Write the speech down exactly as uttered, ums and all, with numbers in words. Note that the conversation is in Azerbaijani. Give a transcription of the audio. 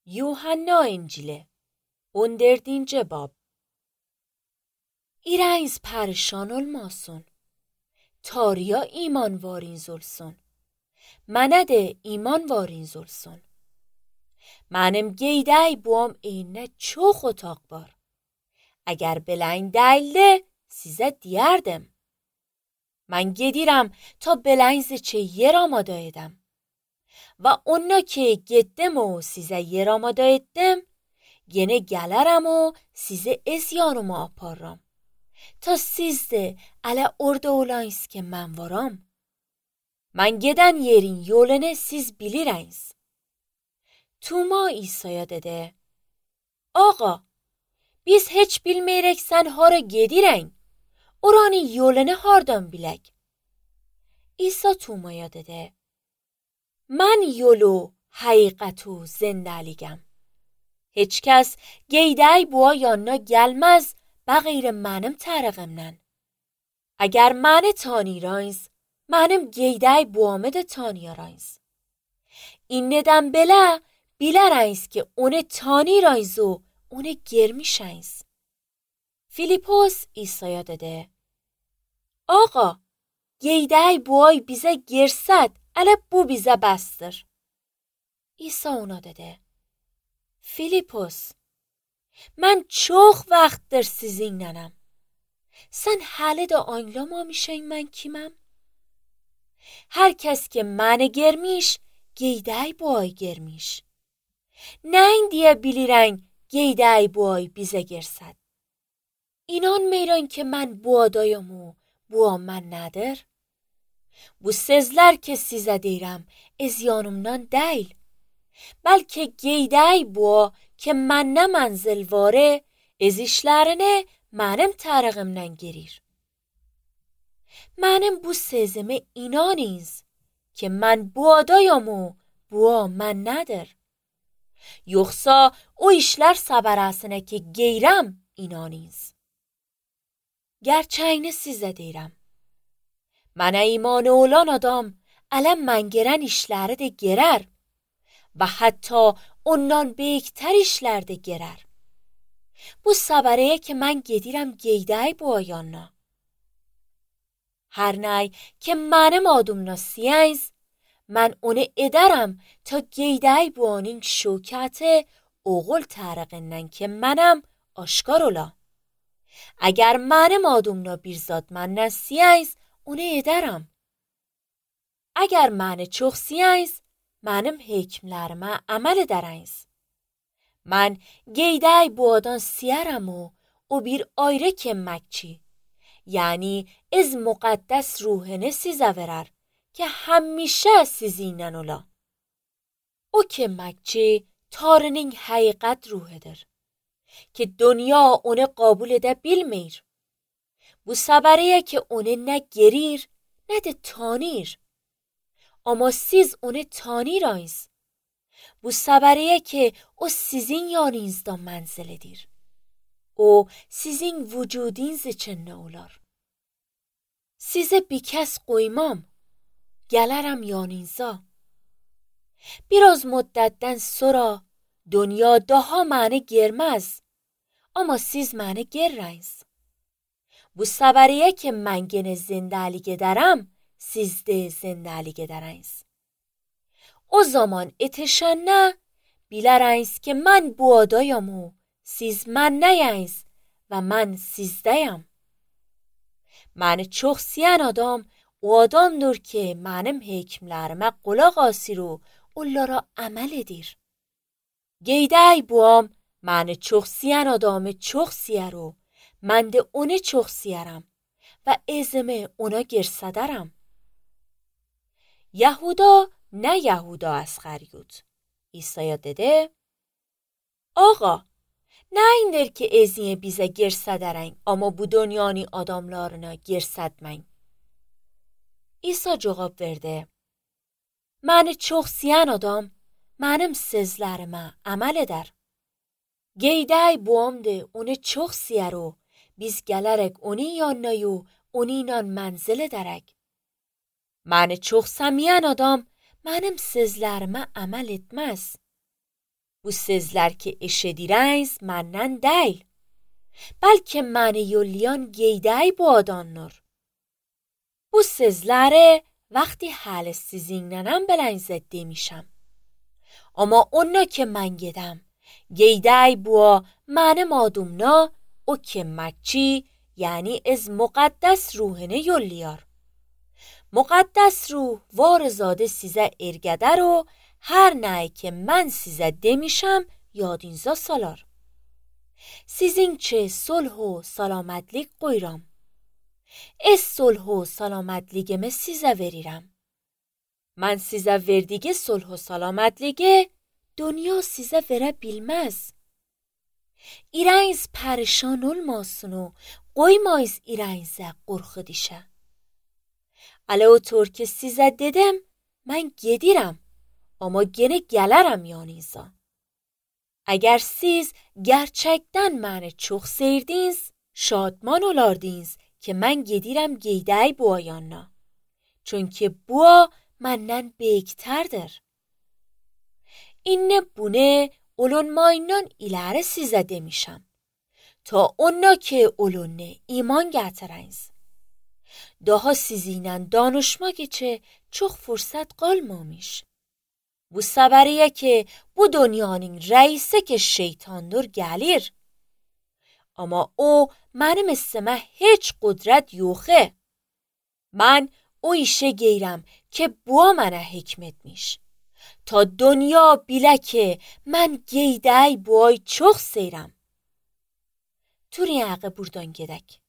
Yuhanna İncili on dördüncü bab. İreyiz perişan olmasın. Tarıya iman variniz olsun. Mənə de iman variniz olsun. Mənim qeydəy buam eynə çox otaq var. Əgər beləyin dəyildi, sizə deyərdim. Mən gedirəm ta beləyiniz için yer amada edəm. Və onna ki getdim o sizə yer amada etdim, gene gələrəm o sizi ez yanıma aparram. Ta siz de ələ orada olayınız ki mən varam. Mən gedən yerin yolunu siz bilirəyiz. Tuma İsa'ya dedi: Ağa, biz heç bilməyirək sən hara gedirən, oranın yolunu hardan bilək? İsa Tuma'ya dedi: Mən yolu, həqiqət u zindəligəm. Heç kəs qeydəy bua yanına gəlməz bəğeyr mənim tərəqimdən. Əgər məni tanıyırayız, mənim qeydəy buamı da tanıyarayız. İnnədən belə bilərəyiz ki onu tanıyırayız o onu görmüşəyiz. Filipos İsa'ya dedi: Ağa, qeydəy buay bizə girsəd, ələ bu bizə bəsdir. İsa ona dedi: Filipos, mən çox vaxtdır sizinlənəm. Sən hələ də anlamamışsan mən kiməm? Hər kəs ki məni görmüş, qeydəy buay görmüş. Nəyin deyə bilirən qeydəy buay bizə girsəd? İnanmıram ki mən bu adayım o, bu mən nədir? Bu sözlər ki sizə deyirəm, ez yanımdan deyil. Bəlkə qeydəy bua ki mənnə mənzil vare, ez işlərini mənim tərəqimdən girir. Mənim bu sözümə inanınız ki mən bu adayım o, bu mən nədir? Yoxsa o işlər səbərəsinə ki qeyrəm inanınız. Gerçəyini sizə deyirəm. Mənə imanı olan adam ələm mən gerən işləri də gerər və hətta ondan beyktər işlər də gerər. Bu səbərəyə ki mən gedirəm qeydəy bu yanına. Hər nəy ki mənim adımla siyəyiz, mən onu edərəm ta qeydəy bu anın şökəti oğul tərəqindən ki mənəm aşkar ola. Əgər mənim adımla bir zat məndən siyəyiz, onu edərəm. Əgər məni çox siyəyiz, mənim hekmlərimə əməl edərəyiz. Mən qeydəy bu adan siyərəm o, o bir ayrı kəmməkçi. Yəni, ez müqəddəs ruhunu sizə verər ki həmişə sizinlə ola. O kəmməkçi Tanrının həqiqət ruhudur ki dünya onu qəbul edə bilmir. Bu səbəriyə ki onu nə gerir, nə də tanır. Amma siz onu tanıyırayız. Bu səbəriyə ki o sizin yanınızda mənzil edir. O sizin vücudunuz için nə olar? Sizə bir kəs qoymam, gələrəm yanınıza. Biraz müddətdən sonra dünya daha məni görməz, amma siz məni görəyiz. Bu səbəriyə ki mən genə zindəlik edərəm, siz də zindəlik edəriz. O zaman etişənə bilərəyiz ki mən bu adayım o, siz mənnəyiz və mən sizdəyəm. Məni çox siyən adam o adamdır ki mənim hekmlərimə qulaq asır o onlara əməl edir. Qeydəy buam məni çox siyən adamı çox siyər o, mən də onu çox siyərəm və ezimi ona girsədərəm. Yahuda nə Yahuda Əsxəryot? İsa'ya dedi: Ağa, nəyindir ki ezini bizə girsədərən, amma bu dünyanın adamlarına girsədmən? İsa cavab verdi: Məni çox siyən adam mənim sözlərimə əməl edər. Qeydəy buamdır onu çox siyər o, biz gələrək onun yanına o, onunla mənzil edərək. Məni çox səmiyən adam mənim sözlərimə əməl etməz. Bu sizler ki eşedireyiz menden değil. Belki mani yolliyan geyday bu adanlar. Bu sizlere vقتی حال sizinle belenizet demişim. Ama ona ki ben gedem, geyday bu mani madumna o kemmetçi yani از مقدس ruhunu yolluyor. مقدس ruh varzadı size ergeder o her ne ki ben size demişim yadınıza salar. Sizin çe صلح و سلامتlik qoyuram. Ez صلح و سلامتligimi size veririm. Ben size verdiği صلح و سلامتliği dünya size verebilmez. İreniz perişan olmasın o qoymayız irenize qorxu dişe. Ala otur ki size dedim ben gedirem ama gene gelirim yanınıza. Eğer siz gerçekten beni çok sevdiniz, şadman olardınız ki ben gedirem geyday bu yanına. Çünkü bu menden büyükterdir. İnne bunu olunmayından ileri size demişim. Ta ona ki olunne iman getiriniz. Daha sizinle danışmak için çok fırsat kalmamış. Bu seberiye ki bu dünyanın reisi ki şeytandır gelir. Ama o benim isime hiç kudret yoxe. Ben o işe giyrem ki bu mənə hikmetmiş. Ta dünya bile ki ben geyday bu ay çok seyrem. Turiyağı buradan gedək.